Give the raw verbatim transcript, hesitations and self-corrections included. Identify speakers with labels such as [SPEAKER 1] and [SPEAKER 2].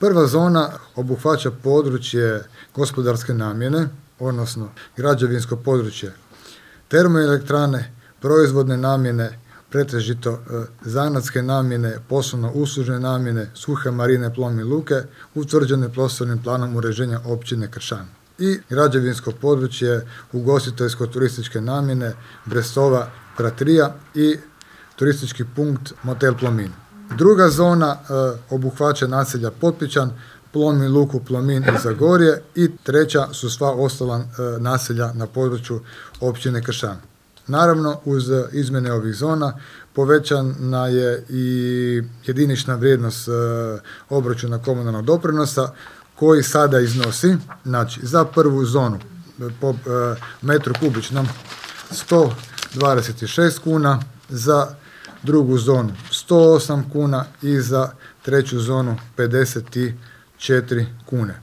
[SPEAKER 1] Prva zona obuhvaća područje gospodarske namjene, odnosno građevinsko područje termoelektrane, proizvodne namjene, pretežito e, zanatske namjene, poslovno uslužne namjene, suhe marine, plovne luke, utvrđene prostornim planom uređenja općine Kršan. I građevinsko područje ugostiteljsko-turističke namjene Brestova, Pratrija i turistički punkt Motel Plomin. Druga zona e, obuhvaća naselja Potpičan, Plomin Luku, Plomin i Zagorje i treća su sva ostala e, naselja na području općine Kršan. Naravno, uz izmjene ovih zona povećana je i jedinična vrijednost e, obračuna komunalnog doprinosa koji sada iznosi, znači za prvu zonu po e, metru kubičnom sto dvadeset šest kuna, za drugu zonu sto osam kuna i za treću zonu pedeset četiri kune.